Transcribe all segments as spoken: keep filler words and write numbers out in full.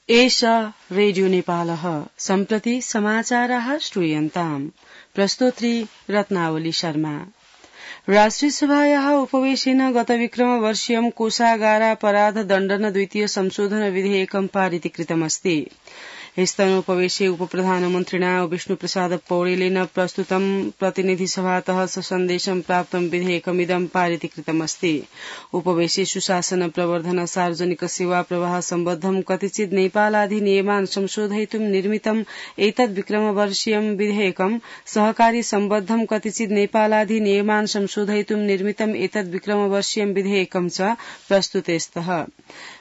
एषा रेडियो नेपालः सम्प्रति समाचाराः श्रूयन्ताम्। प्रस्तोत्री रत्नावली शर्मा। राष्ट्रियसभायाः उपवेशेन गतविक्रमवर्षीयं कोषागारापराध दण्डन द्वितीय संशोधन विधेयकं पारितीकृतमस्ति। स्तनोपवेशे उपप्रधानमन्त्रिणा विष्णुप्रसाद पौडेलेन प्रस्तुतं प्रतिनिधिसभातः सन्देशं प्राप्तं विधेयकमिदं पारितीकृतमस्ति। उपवेशे सुशासन प्रवर्धन सार्वजनिक सेवा प्रवाह सम्बद्धं कतिचित् नेपालाधिनियमान् संशोधयितुं निर्मितम् एतद् विक्रमवर्षीयं विधेयकं सहकारी सम्बद्धं कतिचित् नेपालाधिनियमान् संशोधयितुं निर्मितम् एतद् विक्रमवर्षीयं विधेयकं च प्रस्तुते स्तः।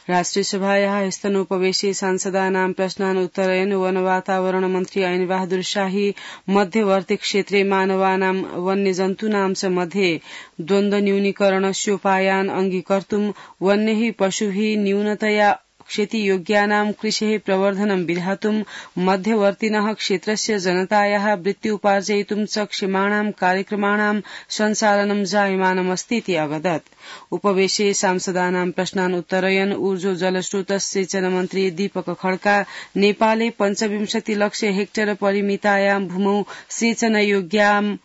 राष्ट्रियसभायाः स्तनोपवेशे सांसदानां प्रश्नान् उत्तरयन् वन वातावरण मन्त्री ऐन बहादुर शाही मध्यवर्ती क्षेत्रे मानवानां वन्यजन्तूनां च मध्ये द्वन्द्व न्यूनीकरणस्योपायान् अङ्गीकर्तुं वन्यैः पशुभिः न्यूनतया क्षतियोग्यानां कृषेः प्रवर्धनं विधातुं मध्यवर्तिनः क्षेत्रस्य जनतायाः वृत्त्युपार्जयितुं च क्षमाणां कार्यक्रमाणां सञ्चालनं जायमानमस्तीति अवदत्। उपवेशे सांसदानां प्रश्नान् उत्तरयन् ऊर्जो जलस्रोत सिंचन मन्त्री दीपक खड्का नेपाले पञ्चविंशति लक्ष हेक्टर परिमितायां भूमौ सेचनयोग्यां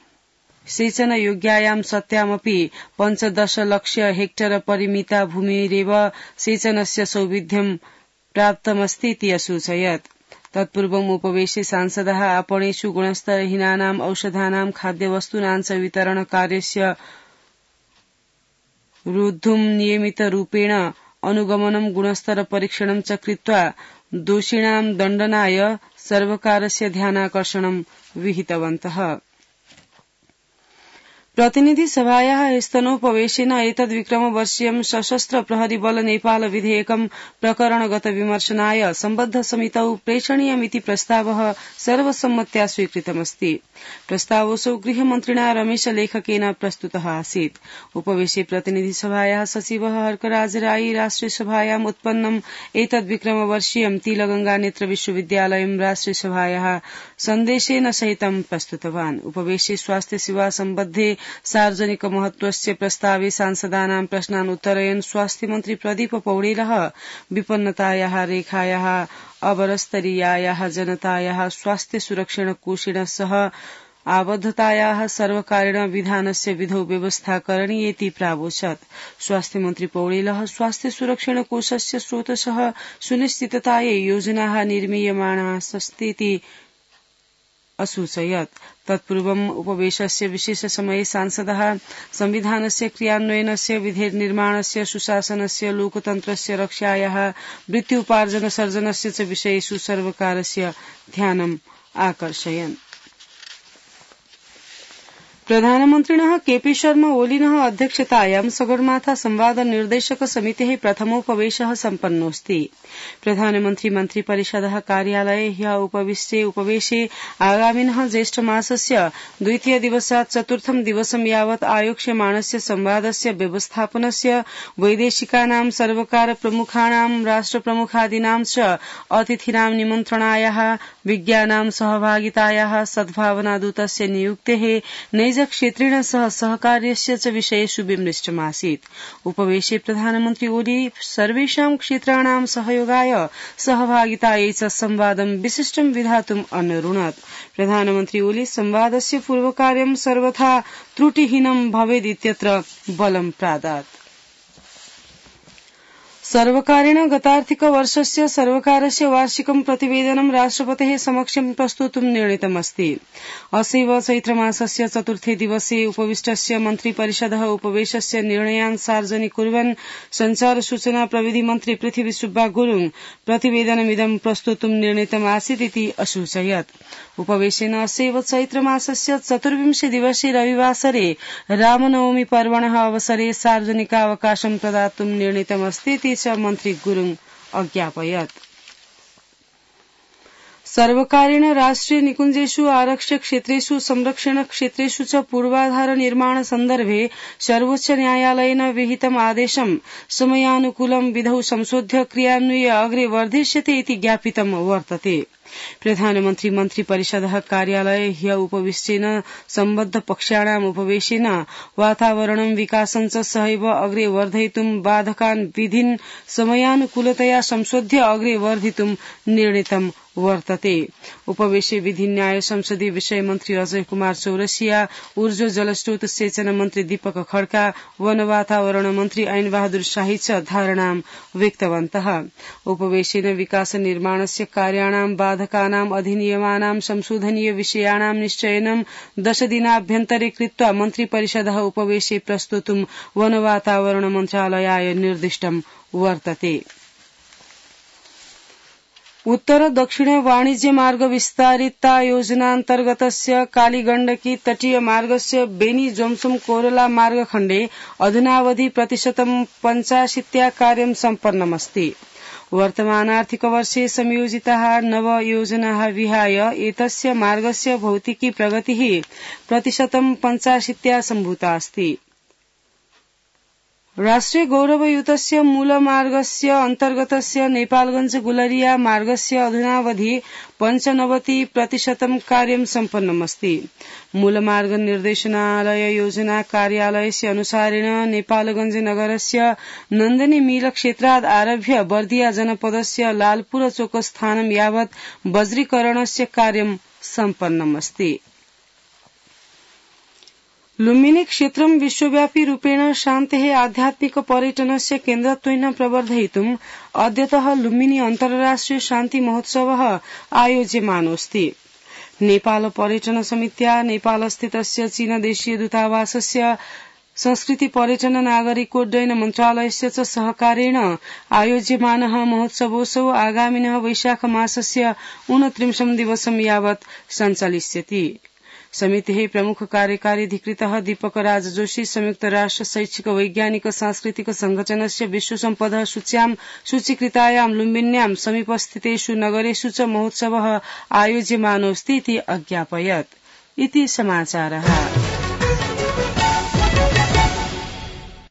सेचनयोग्यायां सत्यामपि पञ्चदश लक्ष हेक्टर परिमिता भूमिरेव सेचनस्य सौविध्यं प्राप्तमस्तीति असूचयत्। तत्पूर्वम् उपवेशे सांसदाः आपणेषु गुणस्तरहीनानां औषधानां खाद्यवस्तूनां च वितरण कार्यस्य रोद्धुं नियमितरूपेण अनुगमनं गुणस्तर परीक्षणं च कृत्वा दोषिणां दण्डनाय सर्वकारस्य ध्यानाकर्षणं विहितवन्तः। प्रतिनिधि सभायाः स्तनोपवेशेन एतद् विक्रमवर्षीयं सशस्त्र प्रहरी बल नेपाल विधेयकं प्रकरणगत विमर्शनाय सम्बद्ध समितौ प्रेषणीयमिति प्रस्तावः सर्वसम्मत्या स्वीकृतमस्ति। प्रस्तावोऽसौ गृहमन्त्रिणा रमेश लेखकेन प्रस्तुतः आसीत्। उपवेशे प्रतिनिधि सभायाः सचिवः हर्कराज राई राष्ट्रियसभायाम् उत्पन्नम् एतद् विक्रमवर्षीयं तिलगंगा नेत्र विश्वविद्यालयं राष्ट्रियसभायाः सन्देशेन सहितं प्रस्तुतवान्। उपवेशे स्वास्थ्य सेवा सम्बद्धे सार्वजनिक महत्वस्य प्रस्तावे सांसदानां प्रश्नान् उत्तरयन् स्वास्थ्यमन्त्री प्रदीप पौडेलः विपन्नतायाः रेखायाः अवरस्तरीयायाः जनतायाः स्वास्थ्य सुरक्षण कोषेण सह आबद्धतायाः सर्वकारेण विधानस्य विधौ व्यवस्था करणीयेति प्रावोचत्। स्वास्थ्यमन्त्री पौडेलः स्वास्थ्य सुरक्षण कोषस्य स्रोतसः सुनिश्चिततायै योजनाः निर्मीयमाणास्तीति असूचयत्। तत्पूर्वम् उपवेशस्य विशेष समये सांसदः संविधानस्य क्रियान्वयनस्य विधेयकनिर्माणस्य सुशासनस्य लोकतन्त्रस्य रक्षायाः वृत्त्युपार्जन सर्जनस्य च विषयेषु सर्वकारस्य ध्यानम् आकर्षयन्। प्रधानमन्त्रिणः केपी शर्मा ओलिनः अध्यक्षतायां सगरमाथा संवाद निर्देशक समितेः प्रथमोपवेशः सम्पन्नोऽस्ति। प्रधानमन्त्री मन्त्रिपरिषदः कार्यालये ह्यः उपविष्टे उपवेशे आगामिनः ज्येष्ठमासस्य द्वितीय दिवसात् चतुर्थं दिवसं यावत् आयोक्ष्यमाणस्य संवादस्य व्यवस्थापनस्य वैदेशिकानां सर्वकार प्रमुखाणां राष्ट्रप्रमुखादीनां च अतिथिनां निमन्त्रणायाः विज्ञानां सहभागितायाः सद्भावनादूतस्य नियुक्तेः नैज क्षेत्रेण सह सहकार्यस्य च विषयेषु विमृष्टमासीत्। उपवेशे प्रधानमन्त्री ओली सर्वेषां क्षेत्राणां सहयोगाय सहभागितायै च संवादं विशिष्टं विधातुम् अनरुणत्। प्रधानमन्त्री ओली संवादस्य पूर्वकार्यं सर्वथा त्रुटिहीनं भवेदित्यत्र बलं प्रादात्। सर्वकारेण गतार्थिक वर्षस्य सर्वकारस्य वार्षिकं प्रतिवेदनं राष्ट्रपतेः समक्षं प्रस्तोतुं निर्णीतमस्ति। असैव चैत्रमासस्य चतुर्थे दिवसे उपविष्टस्य मन्त्रिपरिषदः उपवेशस्य निर्णयान् सार्वजनिक कुर्वन् संचार सूचना प्रविधि मन्त्री पृथ्वी सुब्बा गुरुङ प्रतिवेदनमिदं प्रस्तोतुं निर्णीतमासीत् इति असूचयत्। उपवेशेन असैव चैत्रमासस्य चतुर्विंशे दिवसे रविवासरे रामनवमी पर्वणः अवसरे सार्वजनिकावकाशं प्रदातुं निर्णीतमस्ति च मन्त्री गुरुङ अज्ञापयत्। सर्वकारेण राष्ट्रिय निकुञ्जेषु आरक्ष्य क्षेत्रेषु संरक्षण क्षेत्रेषु च पूर्वाधार निर्माण सन्दर्भे सर्वोच्च न्यायालयेन विहितम् आदेशं समयानुकूलं विधौ संशोध्य क्रियान्वये अग्रे वर्धिष्यते इति ज्ञापितं वर्तते। प्रधानमन्त्री मन्त्री परिषदः कार्यालये ह्य उपविश्येन सम्बद्ध पक्षाणाम् उपवेशेन वातावरणं विकासं च सहैव अग्रे वर्धयितुं बाधकान् विधीन् समयानुकूलतया संशोध्य अग्रे वर्धितुं निर्णीतं वर्तते। उपवेशे विधि न्याय संसदीय विषय मन्त्री अजय कुमार चौरसिया, ऊर्जा जलस्रोत सेचन मन्त्री दीपक खड्का, वन वातावरण मन्त्री ऐन बहादुर शाही च धारणां व्यक्तवन्तः। उपवेशेन विकास निर्माणस्य कार्याणां बाधकानां अधिनियमानां संशोधनीय विषयाणां निश्चयनं दशदिनाभ्यन्तरे कृत्वा मन्त्री परिषदः उपवेशे प्रस्तोतुं वन वातावरण मन्त्रालयाय निर्दिष्टं वर्तते। उत्तर दक्षिण वाणिज्य मार्ग विस्तारिता योजनान्तर्गतस्य कालीगण्डकी तटीय मार्गस्य बेनी जोम्सुम कोरला मार्गखण्डे अधुनावधि प्रतिशतं पञ्चाशीत्या कार्यं सम्पन्नमस्ति। वर्तमानार्थिकवर्षे संयोजिताः नव योजनाः विहाय एतस्य मार्गस्य भौतिकी प्रगतिः प्रतिशतं पञ्चाशीत्या सम्भूता अस्ति। राष्ट्रिय गौरवयुतस्य मूलमार्गस्य अन्तर्गतस्य नेपालगंज गुलरिया मार्गस्य अधुनावधि पञ्चनवति प्रतिशतं कार्यं सम्पन्नमस्ति। मूलमार्ग निर्देशनालय योजना कार्यालयस्य अनुसारेण नेपालगंज नगरस्य नन्दनी मिल क्षेत्रात् आरभ्य बर्दिया जनपदस्य लालपुर चोकस्थानं यावत् वज्रीकरणस्य कार्यं सम्पन्नमस्ति। लुम्बिनी क्षेत्रं विश्वव्यापी रूपेण शान्तेः आध्यात्मिक पर्यटनस्य केन्द्रत्वेन प्रवर्धयितुम् अद्यतः लुम्बिनी अन्तर्राष्ट्रिय शान्ति महोत्सवः आयोज्यमानोऽस्ति। नेपाल पर्यटन समित्या नेपालस्थितस्य चीनदेशीय दूतावासस्य संस्कृति पर्यटन नागरिकोड्डयन मन्त्रालयस्य च सहकारेण आयोज्यमानः महोत्सवोऽसौ आगामिनः वैशाख मासस्य ऊनत्रिंशं दिवसं यावत् सञ्चलिष्यति। समितेः प्रमुख कार्यकारी अधिकृतः दीपक राज जोशी संयुक्त राष्ट्र शैक्षिक वैज्ञानिक सांस्कृतिक संघटनस्य विश्व सम्पदः सूच्यां सूचीकृतायां लुम्बिन्यां समीपस्थितेषु नगरेषु च महोत्सवः आयोज्यमानोऽस्ति इति अज्ञापयत्। इति समाचारः।